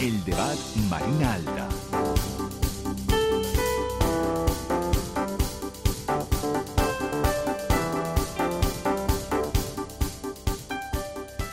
El debat Marina Alta.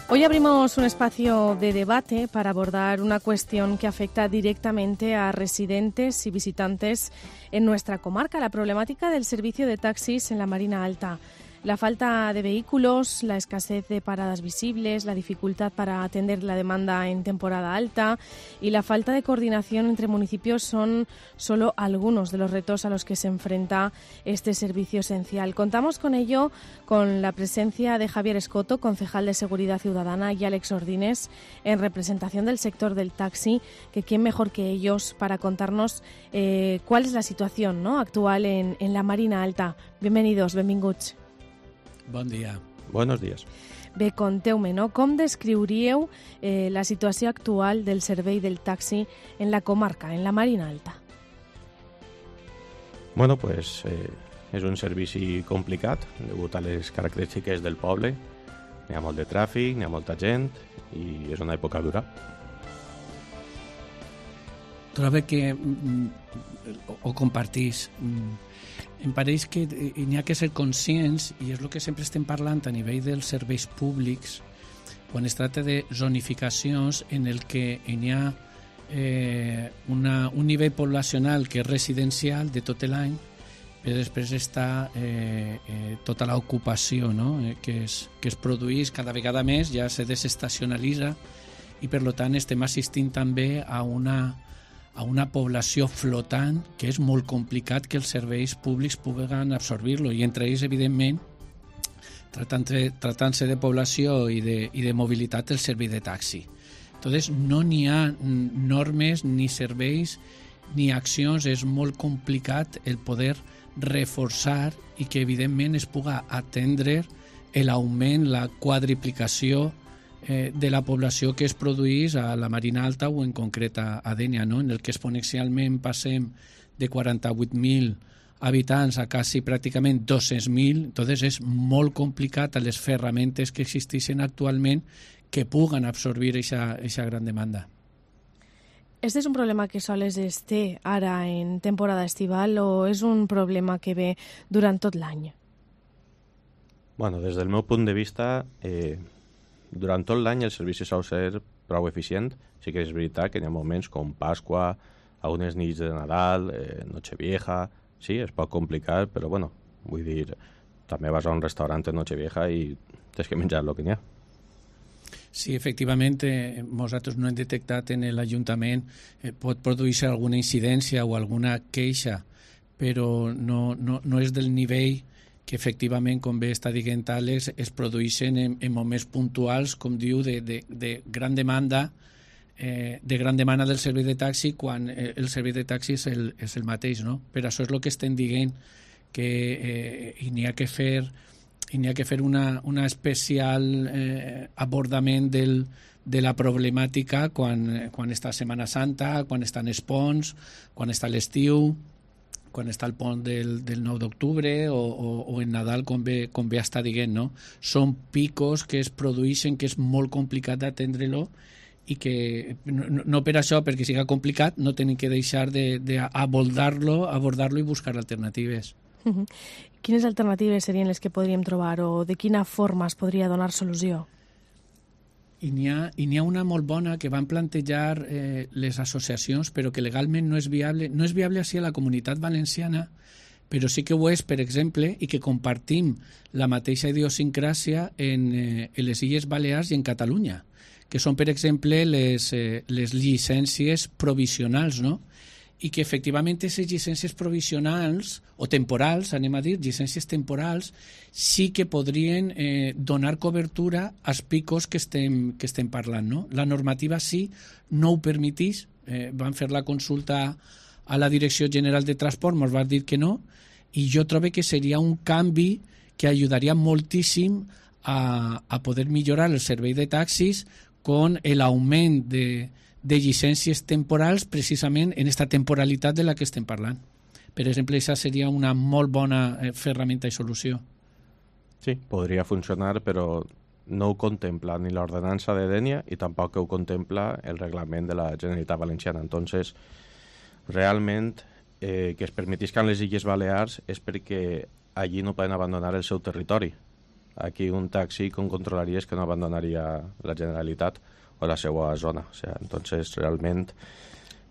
Hoy abrimos un espacio de debate para abordar una cuestión que afecta directamente a residentes y visitantes en nuestra comarca, la problemática del servicio de taxis en la Marina Alta. La falta de vehículos, la escasez de paradas visibles, la dificultad para atender la demanda en temporada alta y la falta de coordinación entre municipios son solo algunos de los retos a los que se enfrenta este servicio esencial. Contamos con ello con la presencia de Javier Escoto, concejal de Seguridad Ciudadana, y Àlex Ordines, en representación del sector del taxi, que quién mejor que ellos para contarnos cuál es la situación, ¿no?, actual en la Marina Alta. Bienvenidos, benvinguts. Bon dia. Buenos días. Bé, conteu-me, no? Com descriuríeu la situació actual del servei del taxi en la comarca, en la Marina Alta? Bueno, pues és un servici complicat degut a les característiques del poble. N'hi ha molt de tràfic, n'hi ha molta gent i és una època dura. Trobo que ho compartís. Em pareix que n'hi ha que ser conscients, i és el que sempre estem parlant a nivell dels serveis públics, quan es tracta de zonificacions en el que n'hi ha un nivell poblacional que és residencial de tot l'any, però després està tota l'ocupació, no?, que es produeix cada vegada més, ja se desestacionalitza, i per tant estem assistint també a una població flotant que és molt complicat que els serveis públics puguen absorbir-lo, i entre ells, evidentment, tratant-se de població i de mobilitat, el servei de taxi. Entonces, no n'hi ha normes, ni serveis, ni accions. És molt complicat el poder reforçar i que, evidentment, es puga atendre l'augment, la quadriplicació de la població que es produeix a la Marina Alta o en concret a Dénia, no?, en el que exponencialment passem de 48.000 habitants a quasi pràcticament 200.000. Entonces és molt complicat a les ferramentes que existeixen actualment que puguen absorbir aquesta gran demanda. Este és un problema que sols es té ara en temporada estival o és un problema que ve durant tot l'any? Bueno, des del meu punt de vista, durant tot l'any el servici sol ser prou eficient. Sí que és veritat que hi ha moments com Pasqua, algunes nits de Nadal, Nochevieja. Sí, es pot complicar, però bueno, vull dir, també vas a un restaurant en Nochevieja i tens que menjar el que n'hi ha. Sí, efectivament, nosaltres no hem detectat en l'Ajuntament, pot produir-se alguna incidència o alguna queixa, però no és del nivell que efectivament, com bé està dient Àlex, es produeixen en moments puntuals, com diu, de gran demanda del servei de taxi, quan el servei de taxi és el mateix, no? Per això és el que estem dient, que n'hi ha que fer una especial abordament de la problemàtica quan està Setmana Santa, quan estan els ponts, quan està l'estiu, quan està el pont del 9 d'octubre o en Nadal, com bé està dient, no? Són picos que es produeixen, que és molt complicat d'atendre-lo i que no per això, perquè siga complicat, no tenim que deixar d'abordar-lo i buscar alternatives. Quines alternatives serien les que podríem trobar o de quina forma es podria donar solució? I n'hi ha una molt bona que van plantejar les associacions, però que legalment no és viable. No és viable així a la Comunitat Valenciana, però sí que ho és, per exemple, i que compartim la mateixa idiosincràsia en les Illes Balears i en Catalunya, que són, per exemple, les llicències provisionals, no?, i que efectivament aquestes llicències provisionals o temporals, anem a dir, llicències temporals, sí que podrien donar cobertura als picos que estem parlant, no? La normativa sí no ho permetís, van fer la consulta a la Direcció General de Transport, ens va dir que no, i jo trobo que seria un canvi que ajudaria moltíssim a poder millorar el servei de taxis con l'augment de llicències temporals precisament en aquesta temporalitat de la que estem parlant. Per exemple, aquesta seria una molt bona ferramenta i solució. Sí, podria funcionar, però no ho contempla ni l'ordenança de Dénia i tampoc ho contempla el reglament de la Generalitat Valenciana. Entonces, realment, que es permetiscan les Illes Balears és perquè allí no poden abandonar el seu territori. Aquí un taxi com controlaria és que no abandonaria la Generalitat o la seva zona. O sea, entonces, realment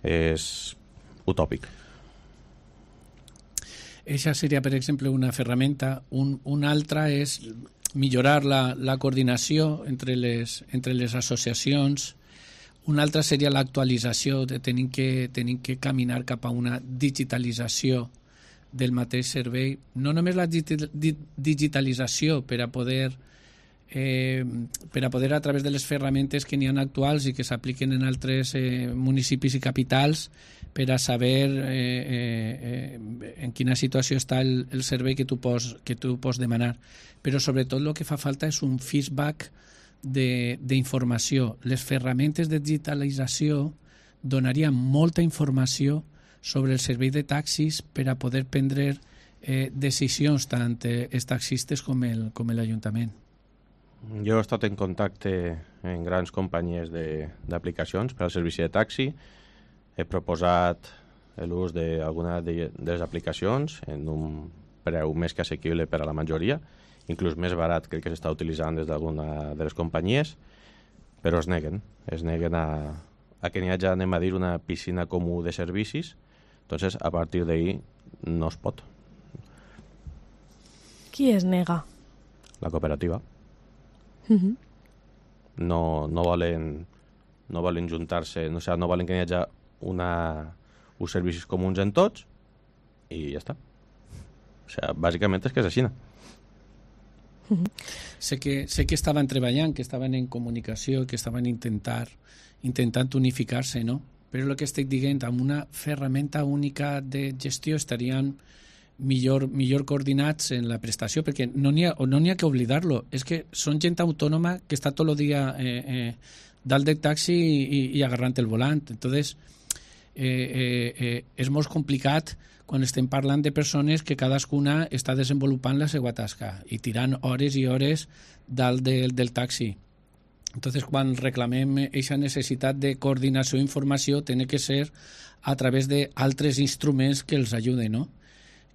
és utòpic. Eixa seria, per exemple, una ferramenta. Una altra és millorar la coordinació entre les associacions. Una altra seria l'actualització, de tenir que caminar cap a una digitalització del mateix servei. No només la digitalització per a poder a través de les ferramentes que n'hi ha actuals i que s'apliquen en altres municipis i capitals per a saber en quina situació està el servei que tu pots demanar. Però sobretot el que fa falta és un feedback d'informació. Les ferramentes de digitalització donarien molta informació sobre el servei de taxis per a poder prendre decisions tant els taxistes com l'Ajuntament. Jo he estat en contacte amb grans companyies d'aplicacions per al servici de taxi. He proposat l'ús d'alguna de les aplicacions en un preu més que assequible per a la majoria, inclús més barat que el que s'està utilitzant des d'alguna de les companyies, però es neguen a que n'hi hagi, anem a dir, una piscina comú de servicis. Entonces, a partir d'ahí no es pot. Qui es nega? La cooperativa. No volen juntar-se, no volen que hi hagi uns servicis comuns en tots i ja està. O sigui, bàsicament és que és així. Sé que estaven treballant, que estaven en comunicació, que estaven intentant unificar-se, no? Però el que estic dient, amb una ferramenta única de gestió estarien millor coordinats en la prestació, perquè no n'hi ha que oblidar-lo. És que són gent autònoma que està tot el dia dalt del taxi i agarrant el volant. Entonces, és molt complicat quan estem parlant de persones que cadascuna està desenvolupant la seva tasca i tirant hores i hores dalt del taxi. Entonces, quan reclamem aquesta necessitat de coordinació i informació, té que ser a través d'altres instruments que els ajuden, no?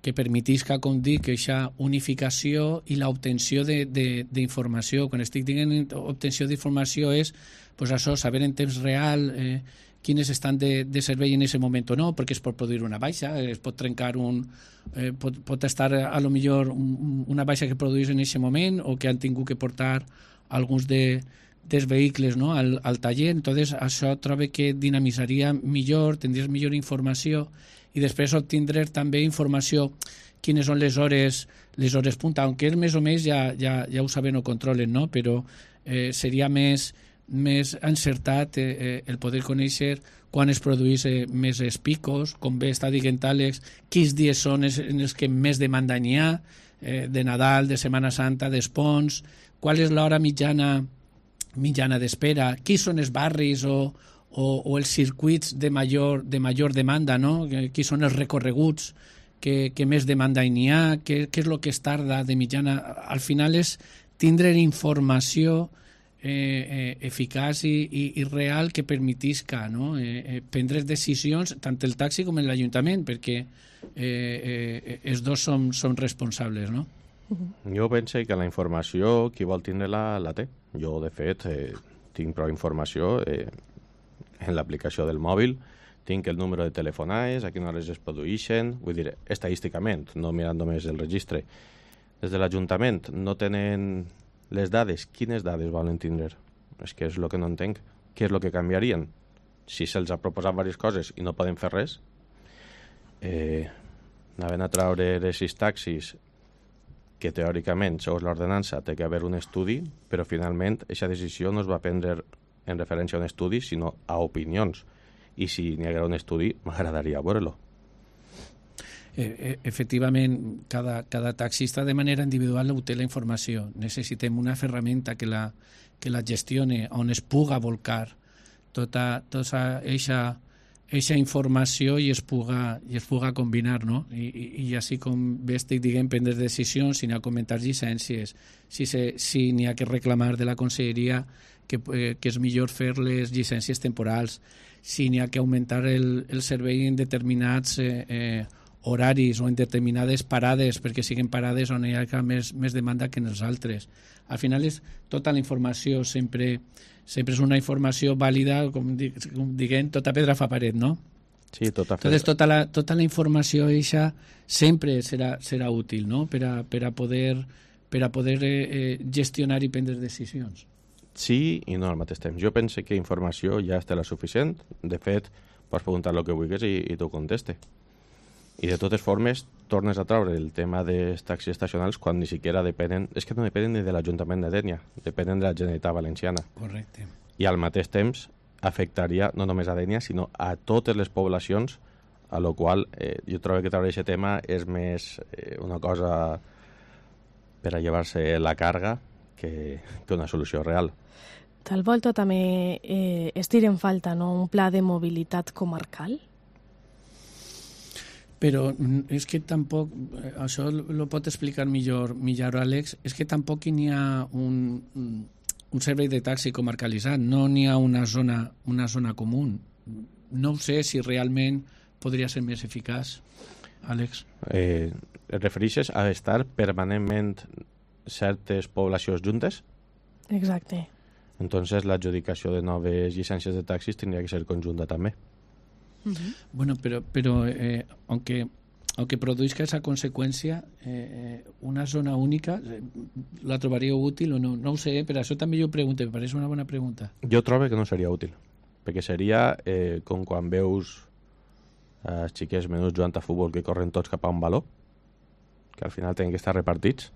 Que permetisca, com dic, aquesta unificació i l'obtenció d'informació. Quan estic dient obtenció d'informació és pues això, saber en temps real quines estan de servei en aquest moment o no, perquè es pot produir una baixa, es pot trencar pot estar a lo millor una baixa que produeix en aquest moment o que han tingut que portar alguns dels vehicles, no, al taller. Entonces això trobo que dinamitzaria millor, tindries millor informació i després obtindre també informació quines són les hores punta, aunque ells més o menys ja ho saben o controlen, no? Però seria més encertat el poder conèixer quan es produeix més els picos, com bé està dient Àlex, quins dies són en els que més demanda n'hi ha, de Nadal, de Setmana Santa, d'Espons, qual és l'hora mitjana d'espera, quins són els barris o els circuits de major demanda, no? Quins són els recorreguts que més demanda n'hi ha, què és el que es tarda de mitjana. Al final és tindre informació eficaç i real que permetisca, no? Prendre decisions tant el taxi com l'Ajuntament, perquè els dos som responsables, no? Jo penso que la informació qui vol tindre-la la té. Jo, de fet, tinc prou informació en l'aplicació del mòbil, tinc el número de telefonades, a quines hores es produeixen, vull dir, estadísticament, no mirant només el registre. Des de l'Ajuntament no tenen les dades. Quines dades volen tindre? És que és el que no entenc. Què és el que canviarien? Si se'ls ha proposat diverses coses i no poden fer res, anaven a treure aquests taxis que teòricament, segons l'ordenança, té que haver un estudi, però finalment aquesta decisió no es va prendre en referència a un estudi, sinó a opinions. I si n'hi haguera un estudi, m'agradaria veure-lo. Efectivament, cada taxista de manera individual obté la informació. Necessitem una ferramenta que la gestione, on es puga volcar tota aquesta eixa informació i es puga combinar, no? I així com bé estic dient, prendre decisions, si n'hi ha que augmentar llicències, si n'hi ha que reclamar de la conselleria que és millor fer les llicències temporals, si n'hi ha que augmentar el servei en determinats horaris o en determinades parades, perquè siguin parades on hi ha més demanda que en els altres. Al final tota la informació sempre és una informació vàlida, com diguem, tota pedra fa paret, no? Sí, tota pedra. Entonces, tota la informació eixa sempre serà útil, no? Per a poder gestionar i prendre decisions. Sí i no al mateix temps. Jo penso que informació ja està la suficient. De fet, pots preguntar el que vulguis i t'ho conteste. I de totes formes, tornes a treure el tema dels taxis estacionals quan ni siquiera depenen... És que no depenen ni de l'Ajuntament de Dénia, depenen de la Generalitat Valenciana. Correcte. I al mateix temps afectaria no només a Dénia, sinó a totes les poblacions, a lo qual jo trobo que treure aquest tema és més una cosa per a llevar-se la càrrega que una solució real. Tal volta també es tira en falta, no?, un pla de mobilitat comarcal? Però és que tampoc, això lo pot explicar millor Àlex, és que tampoc n'hi ha un servei de taxi comarcalitzat, no n'hi ha una zona comú. No ho sé si realment podria ser més eficaç, Àlex. Et refereixes a estar permanentment certes poblacions juntes? Exacte. Entonces l'adjudicació de noves llicències de taxis tindria que ser conjunta també. Bueno, pero aunque produzca esa consecuencia, una zona única, ¿la trobaríeu útil o no? No ho sé, però això també jo pregunto, me pareix una bona pregunta. Jo trobo que no seria útil, perquè seria com quan veus els xiquets menuts jugant a futbol que corren tots cap a un baló, que al final tenen que estar repartits.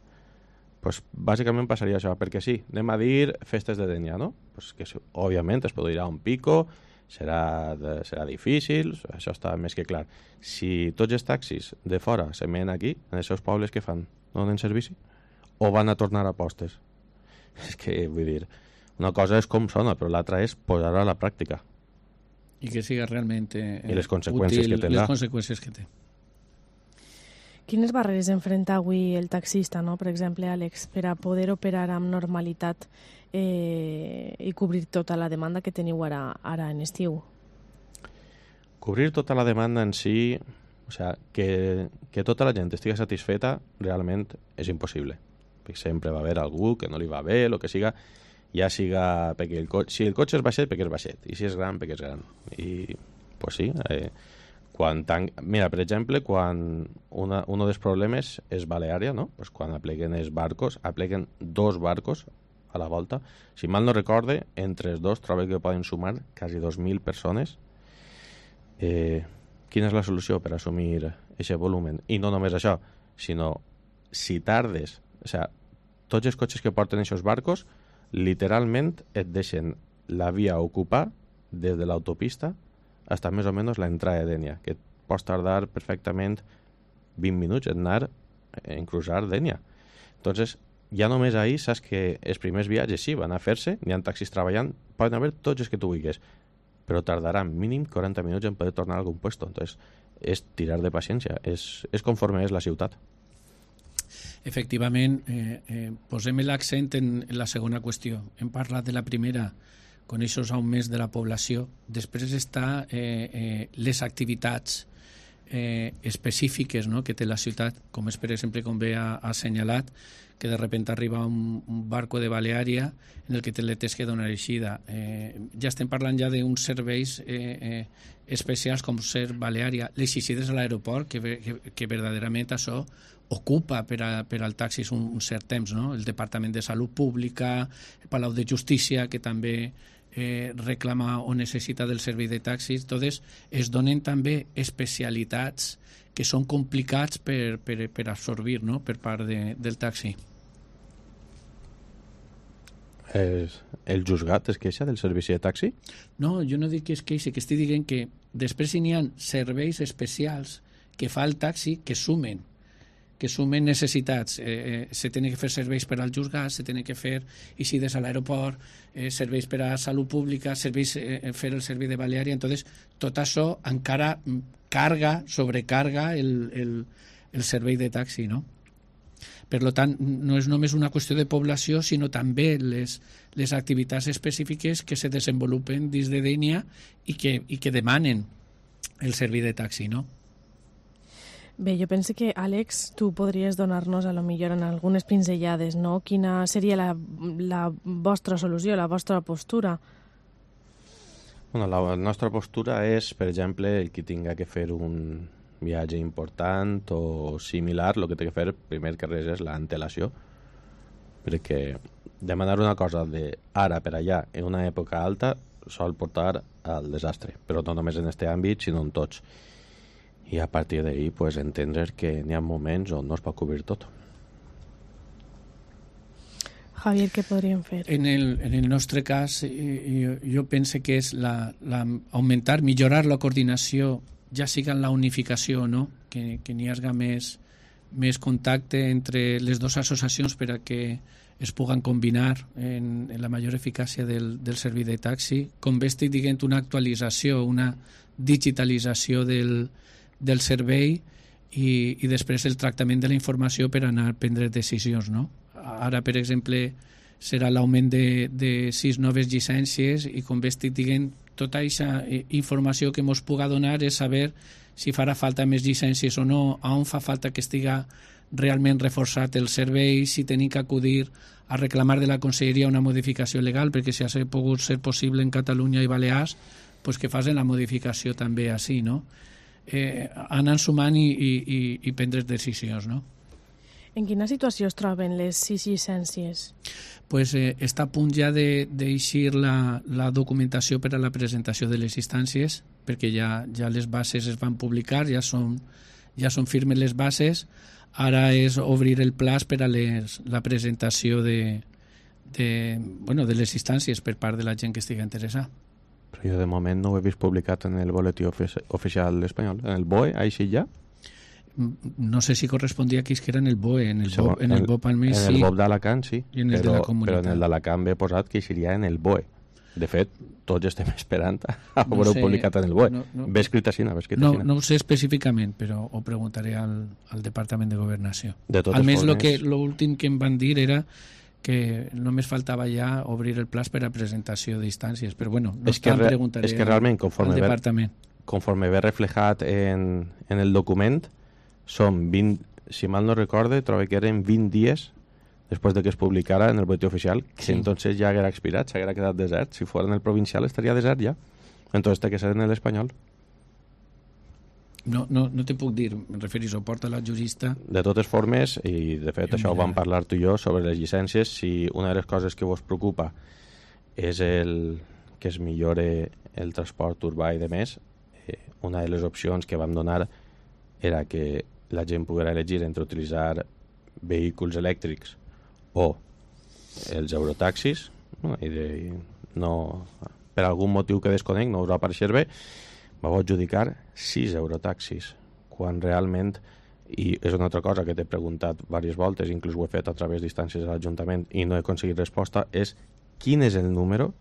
Pues bàsicament passaria això, perquè sí, anem a dir festes de Dénia, no? Pues que òbviament es produirà un pico, serà difícil, això està més que clar. Si tots els taxis de fora se menen aquí, en els seus pobles, què fan? No donen servici? O van a tornar a postes? És que, vull dir, una cosa és com sona, però l'altra és posar-ho a la pràctica. I que siga realment i les conseqüències útil, que tindrà. les conseqüències que té. Quines barreres enfrenta avui el taxista, no? Per exemple, Àlex, per a poder operar amb normalitat i cobrir tota la demanda que teniu ara en estiu? Cobrir tota la demanda en si, o sea, que tota la gent estigui satisfeta, realment és impossible. Perquè sempre va haver algú que no li va bé, el que siga, ja siga perquè si el cotxe és baixet, perquè és baixet, i si és gran, perquè és gran. I, pues sí, mira, per exemple, quan un dels problemes és Baleària, no? Pues quan apleguen els barcos, apleguen 2 barcos a la volta. Si mal no recorde, entre els dos trobo que poden sumar quasi 2.000 persones. Quina és la solució per assumir aquest volumen? I no només això, sinó si tardes, o sea, tots els cotxes que porten aquests barcos literalment et deixen la via ocupar des de l'autopista hasta més o menys l'entrada de Dénia, que pots tardar perfectament 20 minuts en anar en cruzar Dénia. Entonces, ja només ahir saps que els primers viatges sí van a fer-se, n'hi ha taxis treballant, poden haver tots els que tu vulguis, però tardaran mínim 40 minuts en poder tornar a algun puesto. Entonces, és tirar de paciència, és conforme és la ciutat. Efectivament, posem l'accent en la segona qüestió. Hem parlat de la primera, con aquests augments de la població. Després està les activitats específiques, no?, que té la ciutat, com és, per exemple, com bé ha assenyalat, que de repente arriba un barco de Baleària en el que te tens que donar eixida. Ja estem parlant ja d'uns serveis especials com ser Baleària. Les eixides a l'aeroport, que verdaderament això ocupa per al taxis un cert temps, no? El Departament de Salut Pública, el Palau de Justícia, que també reclama o necessita del servei de taxis. Entonces, es donen també especialitats que són complicats per absorbir, no?, per part del taxi. El juzgat es queixa del servici de taxi? No, jo no dic que es queixi, que estic dient que després n'hi ha serveis especials que fa el taxi que sumen que sumen necessitats. Se tenen que fer serveis per als juzgats, se tenen que fer eixides a l'aeroport, serveis per a salut pública, serveis, fer el servei de balneari. Entonces, tot això encara sobrecarga el servei de taxi, no? Per tant, no és només una qüestió de població, sinó també les activitats específiques que se desenvolupen dins de Dénia i que demanen el servei de taxi, no? Bé, jo penso que, Àlex, tu podries donar-nos a lo millor en algunes pinzellades, no? Quina seria la vostra solució, la vostra postura? Bueno, la nostra postura és, per exemple, el que tinga que fer un viatge important o similar, el que té que fer primer que res és l'antelació, perquè demanar una cosa d'ara per allà en una època alta sol portar al desastre, però no només en aquest àmbit, sinó en tots. I a partir d'ahir pues, entendre que n'hi ha moments on no es pot cobrir tot. Javier, què podríem fer? En el nostre cas, jo penso que és augmentar, millorar la coordinació, ja siga en la unificació, no? Que n'hi hagi més contacte entre les dues associacions per a que es puguen combinar en la major eficàcia del servei de taxi. Com bé estic dient, una actualització, una digitalització del servei i després el tractament de la informació per anar a prendre decisions, no? Ara, per exemple, serà l'augment de 6 noves llicències i, com bé estic dient, tota aquesta informació que ens puga donar és saber si farà falta més llicències o no, on fa falta que estiga realment reforçat el servei, si tenim que acudir a reclamar de la Conselleria una modificació legal, perquè si ha pogut ser possible en Catalunya i Balears, pues que facin la modificació també així, no? Anant sumant i prendre decisions, no? En quina situació es troben les 6 llicències? Pues està a punt ja d'eixir la documentació per a la presentació de les instàncies, perquè ja les bases es van publicar, ja són firmes les bases. Ara és obrir el plaç per a la presentació de les instàncies per part de la gent que estigui interessada. Però jo de moment no ho he vist publicat en el boletí oficial espanyol. En el BOE, així ja? No sé si correspondia aquí que era en el BOE, en el BOP almenys sí. En el BOP d'Alacant sí, I en el de la comunitat. Però en el d'Alacant ve posat que seria en el BOE. De fet, tots estem esperant a veure-ho publicat en el BOE. Ve escrit així, no ho sé específicament, però ho preguntaré al Departament de Governació. Almenys l'últim que em van dir era que només faltava ja obrir el plaç per a presentació d'instàncies, però bueno, preguntaré al Departament. Conforme ve reflejat en el document, són 20, si mal no recorde, trobo que eren 20 dies després de que es publicara en el boletí oficial, que sí. Entonces ja haguera expirat, s'haguera quedat desert. Si fos en el provincial estaria desert ja. Entonces té que ser en l'espanyol. No te puc dir, em referís, ho porta la jurista. De totes formes, i de fet això ho vam parlar tu i jo sobre les llicències, si una de les coses que vos preocupa és que es millore el transport urbà i de més, una de les opcions que vam donar era que la gent poguera elegir entre utilitzar vehicles elèctrics o els eurotaxis, no, per algun motiu que desconec no us va aparèixer bé, va adjudicar 6 eurotaxis, quan realment, i és una altra cosa que t'he preguntat diverses voltes, inclús ho he fet a través d'instàncies de l'Ajuntament i no he aconseguit resposta, és quin és el número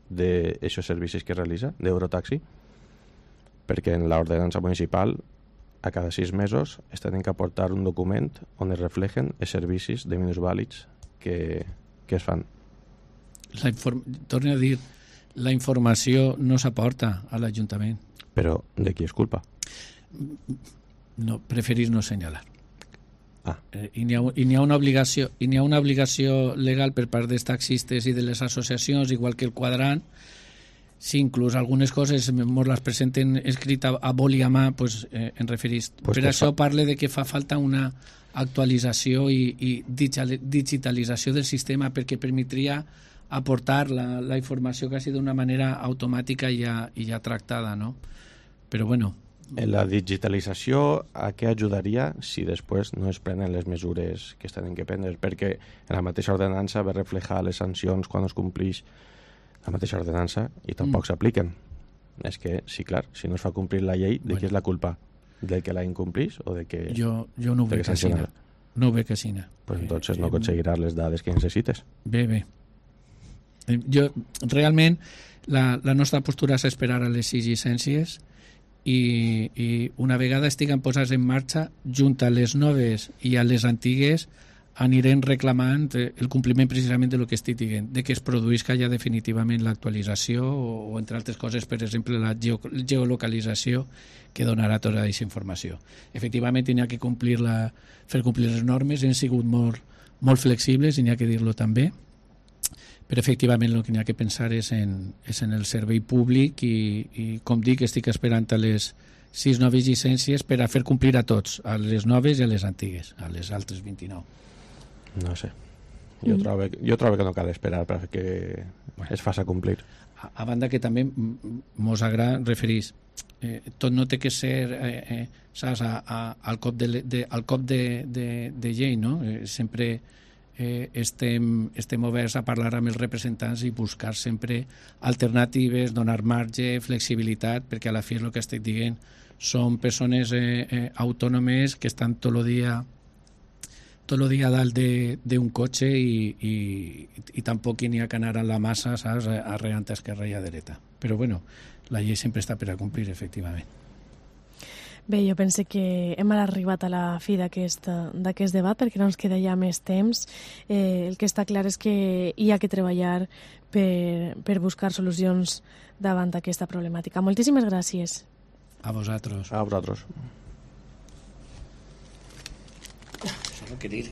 d'aixòs servicis que realitza d'eurotaxi, perquè en l'ordenança municipal a cada 6 mesos es tenen que aportar un document on es reflejen els servicis de minusvàlids que es fan. Torno a dir, la informació no s'aporta a l'Ajuntament. Però de qui és culpa? No, preferís no assenyalar. I n'hi ha una obligació legal per part dels taxistes i de les associacions, igual que el quadrant. Si inclús algunes coses ens les presenten escrita a boli a mà, pues, en referís. Per això parle de que fa falta una actualització i digitalització del sistema perquè permetria aportar la informació quasi d'una manera automàtica i ja tractada, no? Però bueno. La digitalització a què ajudaria si després no es prenen les mesures que es tenen que prendre? Perquè en la mateixa ordenança ve reflejar les sancions quan es complix la mateixa ordenança i tampoc s'apliquen. És que, sí, clar, si no es fa complir la llei, de qui és la culpa? Del que la incomplís o de que... Jo no ho vull assenyalar. No ho veig així. Pues entonces no aconseguiràs les dades que necessites. Bé. Jo, realment, la nostra postura és esperar a les 6 llicències i una vegada estiguen posades en marxa, junt a les noves i a les antigues, anirem reclamant el compliment precisament de lo que estic dient, de que es produïsca ja definitivament l'actualització o entre altres coses, per exemple, la geolocalització que donarà tota aquesta informació. Efectivament, n'hi ha que fer complir les normes, hem sigut molt flexibles, i n'hi ha que dir-lo també, però efectivament el que n'hi ha que pensar és en el servei públic i com dic, estic esperant a les 6 noves llicències per a fer complir a tots, a les noves i a les antigues, a les altres 29. No sé. Jo trobo que no cal esperar perquè es faci complir. A banda que també mos agrada referir, tot no té que ser saps, al cop de llei, no? Sempre estem oberts a parlar amb els representants i buscar sempre alternatives, donar marge, flexibilitat, perquè a la fi és el que estic dient, són persones autònomes que estan tot el dia dalt d'un cotxe i tampoc n'hi ha que anar a la massa, saps, arreant a esquerra i a dreta. Però bueno, la llei sempre està per a complir, efectivament. Bé, jo pense que hem arribat a la fi d'aquest debat perquè no ens queda ja més temps. El que està clar és que hi ha que treballar per buscar solucions davant d'aquesta problemàtica. Moltíssimes gràcies. A vosaltres. A vosaltres. Solo querer.